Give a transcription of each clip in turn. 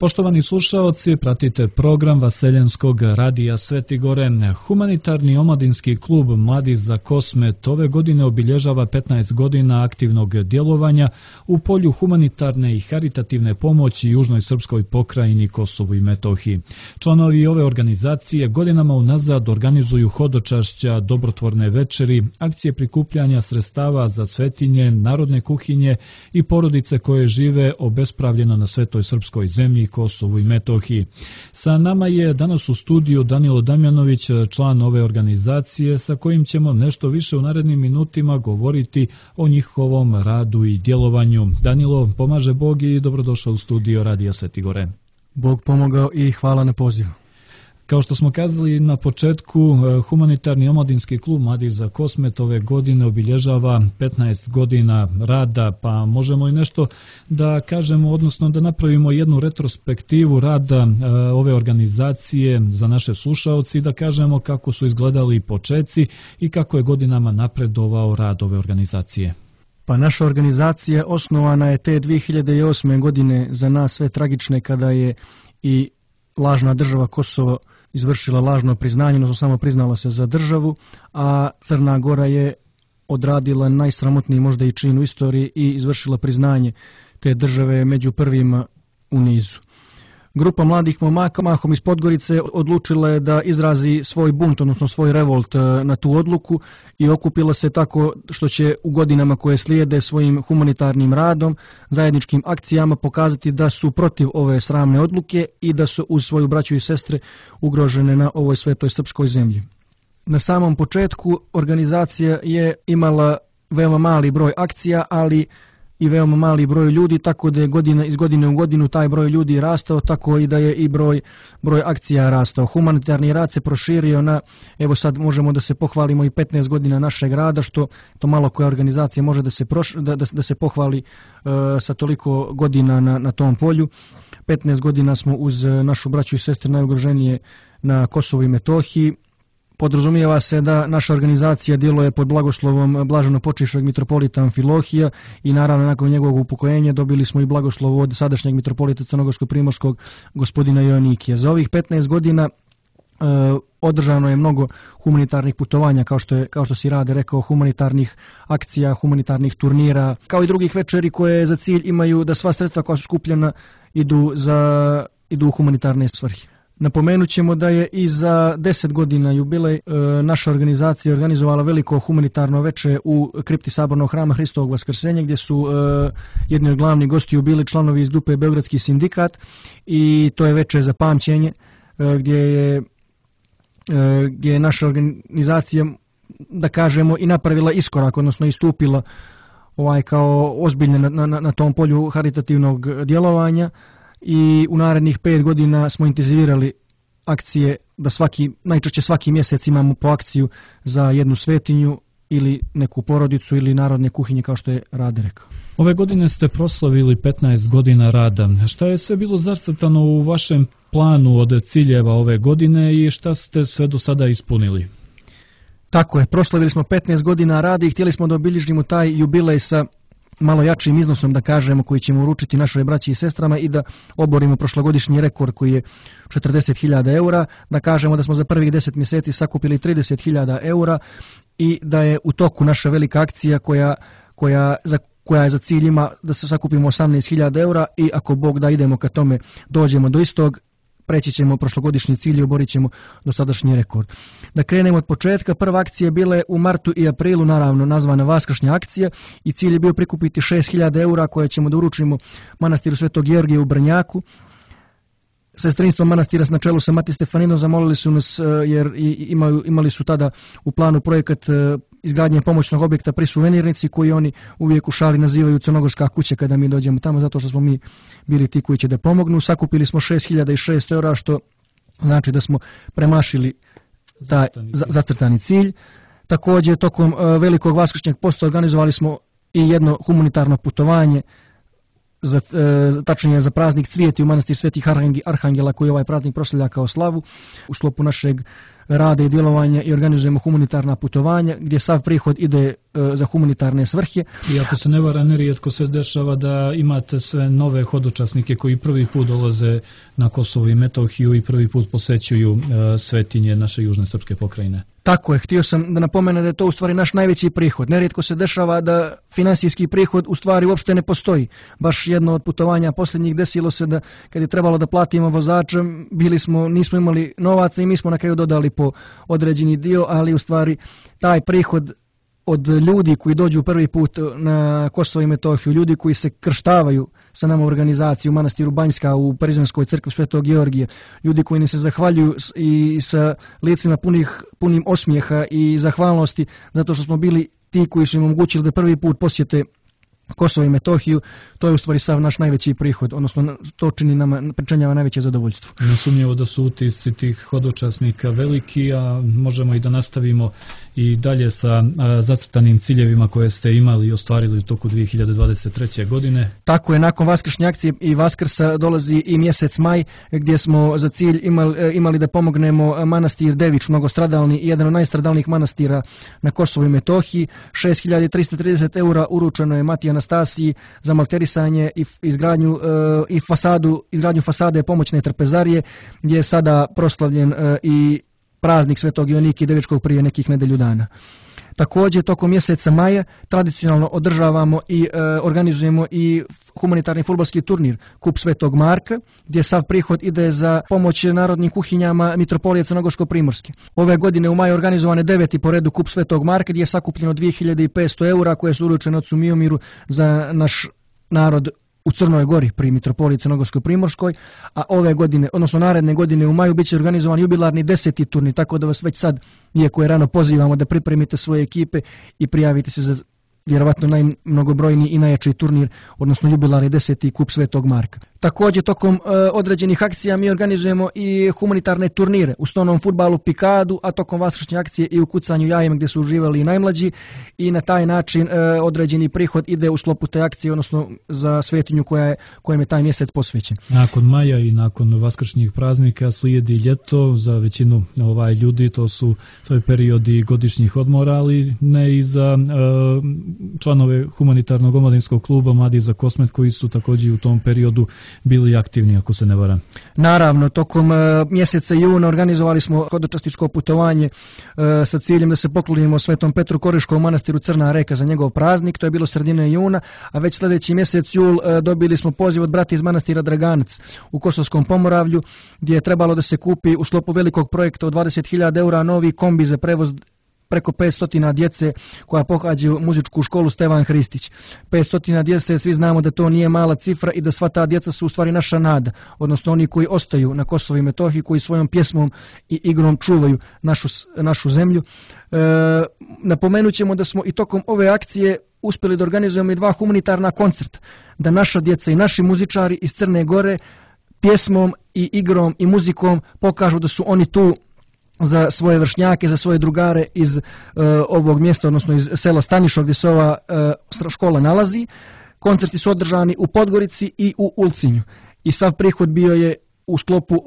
Poštovani slušaoci, pratite program Vaseljenskog radija Sveti Gore. Humanitarni omladinski klub Mladi za Kosmet ove godine obilježava 15 godina aktivnog djelovanja u polju humanitarne i haritativne pomoći južnoj srpskoj pokrajini Kosovu i Metohiji. Članovi ove organizacije godinama unazad organizuju hodočašća, dobrotvorne večeri, akcije prikupljanja sredstava za svetinje, narodne kuhinje i porodice koje žive obespravljeno na svetoj srpskoj zemlji Kosovu i Metohiji. Sa nama je danas u studiju Danilo Damjanović, član ove organizacije, sa kojim ćemo nešto više u narednim minutima govoriti o njihovom radu i djelovanju. Danilo, pomaže Bog i dobrodošao u studio Radija Sveti Gore. Bog pomogao i hvala na pozivu. Kao što smo kazali na početku, humanitarni omladinski klub Mladi za Kosmet ove godine obilježava 15 godina rada, pa možemo i nešto da kažemo, odnosno da napravimo jednu retrospektivu rada ove organizacije za naše slušaoci, da kažemo kako su izgledali počeci i kako je godinama napredovao rad ove organizacije. Pa naša organizacija osnovana je te 2008. godine, za nas sve tragične, kada je i lažna država Kosovo izvršila lažno priznanje, odnosno samo priznala se za državu, a Crna Gora je odradila najsramotniji možda i čin u istoriji i izvršila priznanje te države među prvima u nizu. Grupa mladih momaka, mahom iz Podgorice, odlučila je da izrazi svoj bunt, odnosno svoj revolt na tu odluku i okupila se tako što će u godinama koje slijede svojim humanitarnim radom, zajedničkim akcijama pokazati da su protiv ove sramne odluke i da su uz svoju braću i sestre ugrožene na ovoj svetoj srpskoj zemlji. Na samom početku organizacija je imala veoma mali broj akcija, ali i veoma mali broj ljudi, tako da je iz godine u godinu taj broj ljudi rastao, tako i da je i broj akcija rastao. Humanitarni rad se proširio na, evo sad možemo da se pohvalimo i 15 godina našeg rada, što to malo koja organizacija može da se pohvali sa toliko godina na tom polju. 15 godina smo uz našu braću i sestre najugroženije na Kosovu i Metohiji. Podrazumijeva se da naša organizacija djeluje pod blagoslovom blaženopočivšeg mitropolita Amfilohija i naravno nakon njegovog upokojenja dobili smo i blagoslov od sadašnjeg mitropolita Crnogorsko-primorskog gospodina Joannikija. Za ovih 15 godina održano je mnogo humanitarnih putovanja, kao što si Rade rekao, humanitarnih akcija, humanitarnih turnira, kao i drugih večeri koje za cilj imaju da sva sredstva koja su skupljena idu u humanitarne svrhe. Napomenut ćemo da je i za 10 godina jubilej naša organizacija organizovala veliko humanitarno veče u kripti Sabornog hrama Hristovog Vaskrsenja, gdje su jedni od glavnih gostiju bili članovi iz grupe Beogradski sindikat, i to je veče za pamćenje gdje je naša organizacija, da kažemo, i napravila iskorak, odnosno istupila kao ozbiljne na tom polju haritativnog djelovanja. I u narednih 5 godina smo intenzivirali akcije da najčešće svaki mjesec imamo po akciju za jednu svetinju ili neku porodicu ili narodne kuhinje, kao što je Rade rekao. Ove godine ste proslavili 15 godina rada. Šta je sve bilo zacrtano u vašem planu od ciljeva ove godine i šta ste sve do sada ispunili? Tako je, proslavili smo 15 godina rada i htjeli smo da obilježimo taj jubilej sa malo jačim iznosom, da kažemo, koji ćemo uručiti našoj braći i sestrama i da oborimo prošlogodišnji rekord koji je 40.000 eura, da kažemo da smo za prvih 10 mjeseci sakupili 30.000 eura i da je u toku naša velika akcija koja je za cilj ima da se sakupimo 18.000 eura i ako Bog da idemo ka tome, dođemo do istog, preći ćemo prošlogodišnji cilj i oborit ćemo dosadašnji rekord. Da krenemo od početka, prva akcija je bila u martu i aprilu, naravno nazvana Vaskršnja akcija, i cilj je bio prikupiti 6.000 eura koje ćemo da uručimo manastiru Svetog Georgija u Brnjaku. Sestrinstvo manastira na čelu sa Mati Stefaninom zamolili su nas, jer imali su tada u planu projekat izgradnje pomoćnog objekta pri Suvenirnici, koji oni uvijek u šali nazivaju Crnogorska kuća kada mi dođemo tamo, zato što smo mi bili ti koji će da pomognu. Sakupili smo 6.600 eura, što znači da smo premašili taj zacrtani cilj. Također, tokom velikog Vaskršnjeg posta organizovali smo i jedno humanitarno putovanje, tačnije za praznik Cvijeti u manastir Svetih Arhangela, koji ovaj praznik proslavlja kao slavu. U sklopu našeg rade i djelovanja i organizujemo humanitarna putovanja gdje sav prihod ide za humanitarne svrhe. I ako se ne vara, nerijetko se dešava da imate sve nove hodočasnike koji prvi put dolaze na Kosovo i Metohiju i prvi put posećuju svetinje naše južne srpske pokrajine. Tako je, htio sam da napomenem da je to u stvari naš najveći prihod. Nerijetko se dešava da finansijski prihod u stvari uopšte ne postoji. Baš jedno od putovanja posljednjih desilo se da kad je trebalo da platimo vozača, nismo imali novaca i mi smo na kraju dodali po određeni dio, ali u stvari taj prihod od ljudi koji dođu prvi put na Kosovo i Metohiju, ljudi koji se krštavaju sa nama u organizaciji u manastiru Banjska, u Parizanskoj crkvi Svetog Georgija, ljudi koji ne se zahvaljuju i sa licima punim osmijeha i zahvalnosti zato što smo bili ti koji su im omogućili da prvi put posjete Kosovo i Metohiju, to je u stvari sav naš najveći prihod, odnosno to pričinjava najveće zadovoljstvo. Nesumnjivo da su utisci tih hodočasnika veliki, a možemo i da nastavimo i dalje sa zacrtanim ciljevima koje ste imali i ostvarili u toku 2023. godine. Tako je, nakon vaskršnje akcije i Vaskrsa dolazi i mjesec maj gdje smo za cilj imali da pomognemo manastir Dević, mnogostradalni i jedan od najstradalnijih manastira na Kosovu i Metohiji. 6.330 eura uručeno je Matiji Anastasiji za malterisanje i izgradnju fasade pomoćne trpezarije, gdje je sada proslavljen i praznik Svetog Ionike Devičkog prije nekih nedelju dana. Također, tokom mjeseca maja tradicionalno održavamo i organizujemo i humanitarni fudbalski turnir Kup Svetog Marka, gdje sav prihod ide za pomoć narodnim kuhinjama Mitropolije Crnogorsko-Primorske. Ove godine u maju organizovan je 9. po redu Kup Svetog Marka, gdje je sakupljeno 2.500 eura koje su uručene ocu Miomiru za naš narod u Crnoj Gori pri Mitropoliji Crnogorsko-Primorskoj, a ove godine, odnosno naredne godine u maju, bit će organizovan jubilarni 10. turnir, tako da vas već sad, iako je rano, pozivamo da pripremite svoje ekipe i prijavite se za vjerovatno najmnogobrojniji i najjači turnir, odnosno jubilarni 10. Kup Svetog Marka. Također, tokom određenih akcija mi organizujemo i humanitarne turnire u stonom fudbalu Pikadu, a tokom vaskršnje akcije i u kucanju jajem gdje su uživali i najmlađi, i na taj način određeni prihod ide u sklopu te akcije, odnosno za svetinju kojem je taj mjesec posvećen. Nakon maja i nakon vaskršnjih praznika slijedi ljeto za većinu ljudi, to je period i godišnjih odmora, ali ne i za članove humanitarnog omladinskog kluba Mladi za Kosmet koji su također u tom periodu bili aktivni, ako se ne varam. Naravno, tokom mjeseca juna organizovali smo hodočastičko putovanje sa ciljem da se poklonimo Svetom Petru Koriškom manastiru Crna Reka za njegov praznik, to je bilo sredine juna, a već sljedeći mjesec jul dobili smo poziv od brata iz manastira Draganac u Kosovskom Pomoravlju, gdje je trebalo da se kupi u sklopu velikog projekta od 20.000 eura novi kombi za prevoz preko 500 djece koja pohađaju muzičku školu Stevan Hristić. 500 djece, svi znamo da to nije mala cifra i da sva ta djeca su u stvari naša nada, odnosno oni koji ostaju na Kosovu i Metohiji, koji svojom pjesmom i igrom čuvaju našu zemlju. Napomenut ćemo da smo i tokom ove akcije uspjeli da organizujemo i 2 humanitarna koncerta, da naša djeca i naši muzičari iz Crne Gore pjesmom i igrom i muzikom pokažu da su oni tu za svoje vršnjake, za svoje drugare iz ovog mjesta, odnosno iz sela Stanišo gdje se ova škola nalazi. Koncerti su održani u Podgorici i u Ulcinju. I sav prihod bio je u sklopu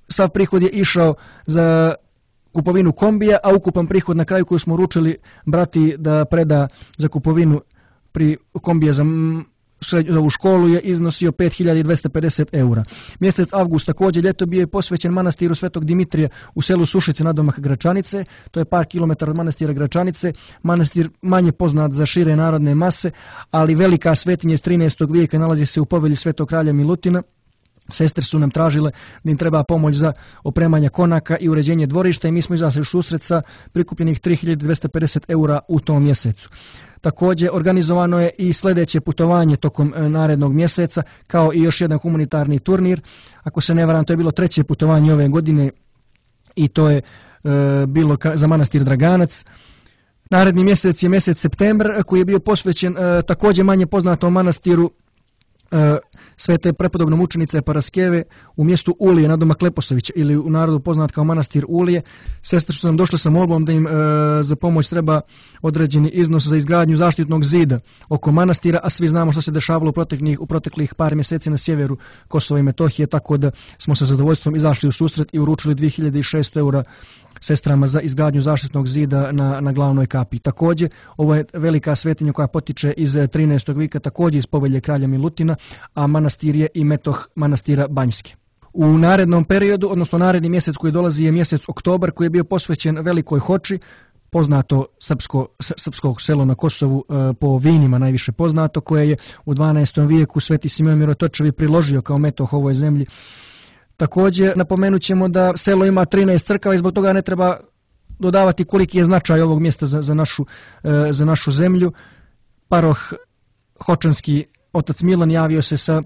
sav prihod je išao za kupovinu kombija, a ukupan prihod na kraju koju smo uručili brati da preda za kupovinu kombija za ovu školu je iznosio 5.250 eura. Mjesec avgust također ljeto bio je posvećen manastiru Svetog Dimitrija u selu Sušice nadomak Gračanice, to je par kilometara od manastira Gračanice, manastir manje poznat za šire narodne mase, ali velika svetinja iz 13. vijeka, nalazi se u povelji Svetog kralja Milutina. Sestre su nam tražile da im treba pomoć za opremanje konaka i uređenje dvorišta i mi smo izašli u susret sa prikupljenih 3.250 eura u tom mjesecu. Također organizovano je i sljedeće putovanje tokom narednog mjeseca, kao i još jedan humanitarni turnir. Ako se ne varam, to je bilo 3. putovanje ove godine i to je bilo za manastir Draganac. Naredni mjesec je mjesec septembar koji je bio posvećen također manje poznatom manastiru svete prepodobne mučenice Paraskeve u mjestu Ulije nadomak Leposavića ili u narodu poznat kao manastir Ulije. Sestre su nam došle sa molbom da im za pomoć treba određeni iznos za izgradnju zaštitnog zida oko manastira, a svi znamo što se dešavalo u proteklih par mjeseci na sjeveru Kosova i Metohije, tako da smo sa zadovoljstvom izašli u susret i uručili 2600 eura sestrama za izgradnju zaštitnog zida na glavnoj kapi. Također, ovo je velika svetinja koja potiče iz 13. vijeka, također iz povelje kralja Milutina, a manastir je i metoh manastira Banjske. U narednom periodu, odnosno naredni mjesec koji dolazi je mjesec oktobar, koji je bio posvećen Velikoj Hoči, poznato srpskog selo na Kosovu, po vinima najviše poznato, koje je u 12. vijeku Sveti Simeon Mirotočevi priložio kao metoh ovoj zemlji. Također napomenut ćemo da selo ima 13 crkava i zbog toga ne treba dodavati koliki je značaj ovog mjesta za našu zemlju. Paroh Hočanski otac Milan javio se sa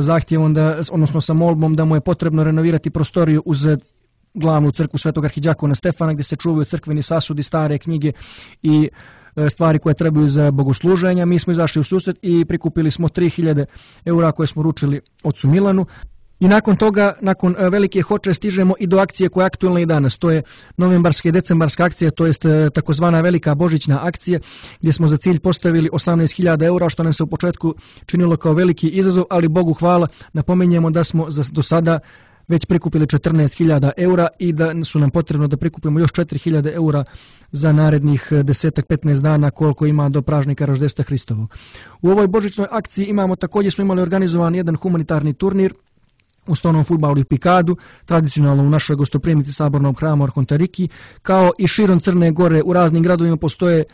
zahtjevom, odnosno sa molbom da mu je potrebno renovirati prostoriju uz glavnu crkvu Svetog arhidjakona Stefana, gdje se čuvaju crkveni sasudi, stare knjige i stvari koje trebaju za bogosluženja. Mi smo izašli u susret i prikupili smo 3000 eura koje smo ručili ocu Milanu. I nakon toga, nakon Velike Hoče, stižemo i do akcije koja je aktualna i danas. To je novembarska i decembarska akcija, to jest takozvana Velika Božićna akcija, gdje smo za cilj postavili 18.000 eura, što nam se u početku činilo kao veliki izazov, ali Bogu hvala, napominjemo da smo do sada već prikupili 14.000 eura i da su nam potrebno da prikupimo još 4.000 eura za narednih 10-15 dana koliko ima do pražnika Roždestva Hristovog. U ovoj božićnoj akciji također smo imali organizovan jedan humanitarni turnir u stolnom fudbalu i pikadu, tradicionalno u našoj gostoprimnici Sabornog hrama Arhontariki, kao i širom Crne Gore. U raznim gradovima postoje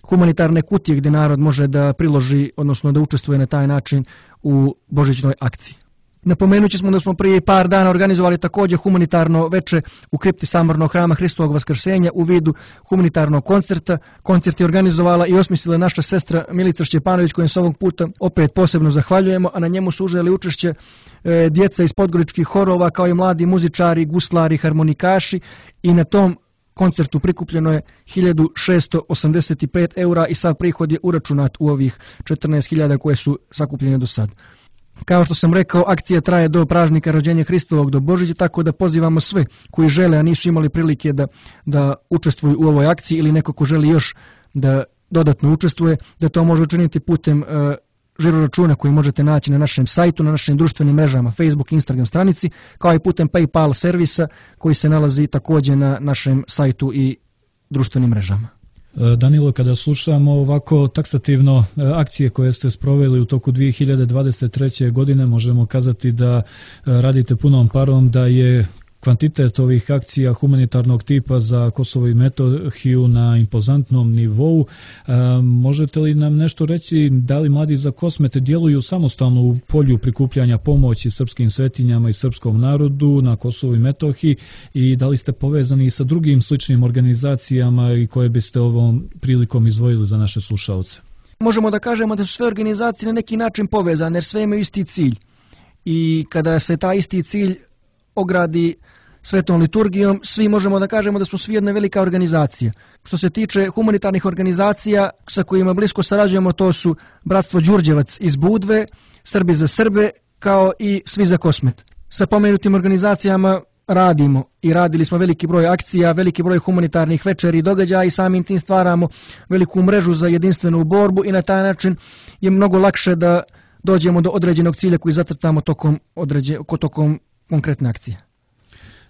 humanitarne kutije gdje narod može da priloži, odnosno da učestvuje na taj način u božićnoj akciji. Napomenući smo da smo prije par dana organizovali također humanitarno veče u kripti Sabornog hrama Hristovog Vaskrsenja u vidu humanitarnog koncerta. Koncert je organizovala i osmislila naša sestra Milica Šćepanović, kojim se ovog puta opet posebno zahvaljujemo, a na njemu su uzeli učešće djeca iz podgoričkih horova, kao i mladi muzičari, guslari, harmonikaši, i na tom koncertu prikupljeno je 1685 eura i sav prihod je uračunat u ovih 14.000 koje su sakupljene do sad. Kao što sam rekao, akcija traje do pražnika Rođenja Hristovog, do Božića, tako da pozivamo sve koji žele, a nisu imali prilike da učestvuju u ovoj akciji, ili neko ko želi još da dodatno učestvuje, da to može učiniti putem žiroračuna koji možete naći na našem sajtu, na našim društvenim mrežama, Facebook, Instagram stranici, kao i putem PayPal servisa koji se nalazi također na našem sajtu i društvenim mrežama. Danilo, kada slušamo ovako taksativno akcije koje ste sproveli u toku 2023. godine, možemo kazati da radite punom parom, da je kvantitet ovih akcija humanitarnog tipa za Kosovo i Metohiju na impozantnom nivou. Možete li nam nešto reći, da li Mladi za Kosmet djeluju samostalno u polju prikupljanja pomoći srpskim svetinjama i srpskom narodu na Kosovu i Metohiji, i da li ste povezani sa drugim sličnim organizacijama i koje biste ovom prilikom izdvojili za naše slušalce? Možemo da kažemo da su sve organizacije na neki način povezane, jer sve imaju isti cilj. I kada se taj isti cilj ogradi svetom liturgijom, svi možemo da kažemo da smo svi jedna velika organizacija. Što se tiče humanitarnih organizacija sa kojima blisko sarađujemo, to su Bratstvo Đurđevac iz Budve, Srbi za Srbe, kao i Svi za Kosmet. Sa pomenutim organizacijama radimo i radili smo veliki broj akcija, veliki broj humanitarnih večeri i događaja, i samim tim stvaramo veliku mrežu za jedinstvenu borbu, i na taj način je mnogo lakše da dođemo do određenog cilja koji zacrtamo tokom konkretne akcije.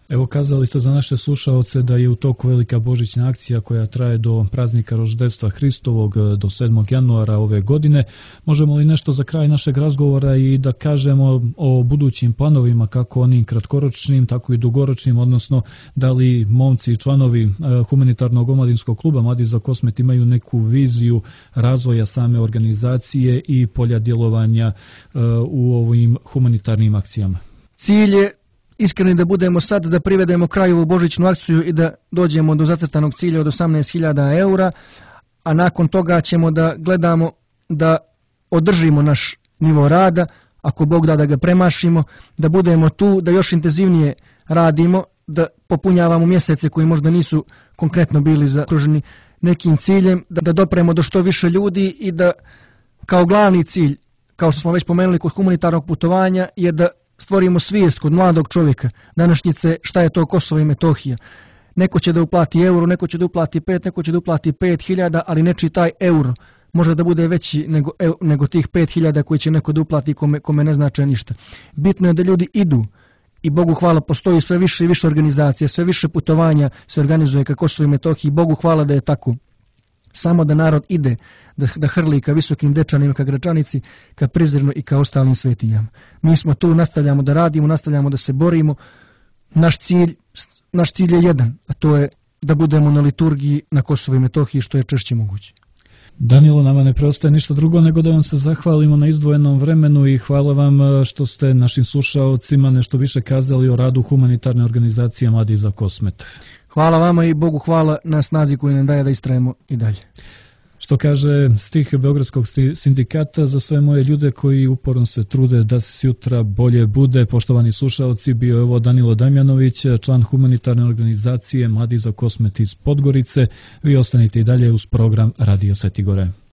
Evo, kazali ste za naše slušaoce da je u toku velika božićna akcija koja traje do praznika Roždestva Hristovog, do 7. januara ove godine. Možemo li nešto za kraj našeg razgovora i da kažemo o budućim planovima, kako onim kratkoročnim, tako i dugoročnim, odnosno da li momci i članovi humanitarnog omladinskog kluba Mladi za Kosmet imaju neku viziju razvoja same organizacije i polja djelovanja u ovim humanitarnim akcijama? Cilj je iskreni da budemo sad, da privedemo kraju ovu božićnu akciju i da dođemo do zacrtanog cilja od 18.000 eura, a nakon toga ćemo da gledamo da održimo naš nivo rada, ako Bog da ga premašimo, da budemo tu, da još intenzivnije radimo, da popunjavamo mjesece koji možda nisu konkretno bili zakruženi nekim ciljem, da dopremo do što više ljudi i da kao glavni cilj kao što smo već pomenuli kod humanitarnog putovanja, je da stvorimo svijest kod mladog čovjeka današnjice šta je to Kosovo i Metohija. Neko će da uplati euro, neko će da uplati 5, neko će da uplati 5.000, ali nečiji taj euro može da bude veći nego tih 5.000 koji će neko da uplati kome ne znače ništa. Bitno je da ljudi idu i Bogu hvala postoji sve više i više organizacija, sve više putovanja se organizuje ka Kosovu i Metohiji. Bogu hvala da je tako. Samo da narod ide, da hrli ka Visokim Dečanima, ka Gračanici, ka Prizrenu i ka ostalim svetinjama. Mi smo tu, nastavljamo da radimo, nastavljamo da se borimo. Naš cilj je jedan, a to je da budemo na liturgiji na Kosovu i Metohiji što je češće moguće. Danilo, nama ne preostaje ništa drugo nego da vam se zahvalimo na izdvojenom vremenu i hvala vam što ste našim slušaocima nešto više kazali o radu humanitarne organizacije Mladi za Kosmet. Hvala vama i Bogu hvala na snazi koju nam daje da istrajemo i dalje. Što kaže stih Beogradskog sindikata, za sve moje ljude koji uporno se trude da se sutra bolje bude. Poštovani slušaoci, bio je ovo Danilo Damjanović, član humanitarne organizacije Mladi za Kosmet iz Podgorice. Vi ostanite i dalje uz program Radija Svetih Gore.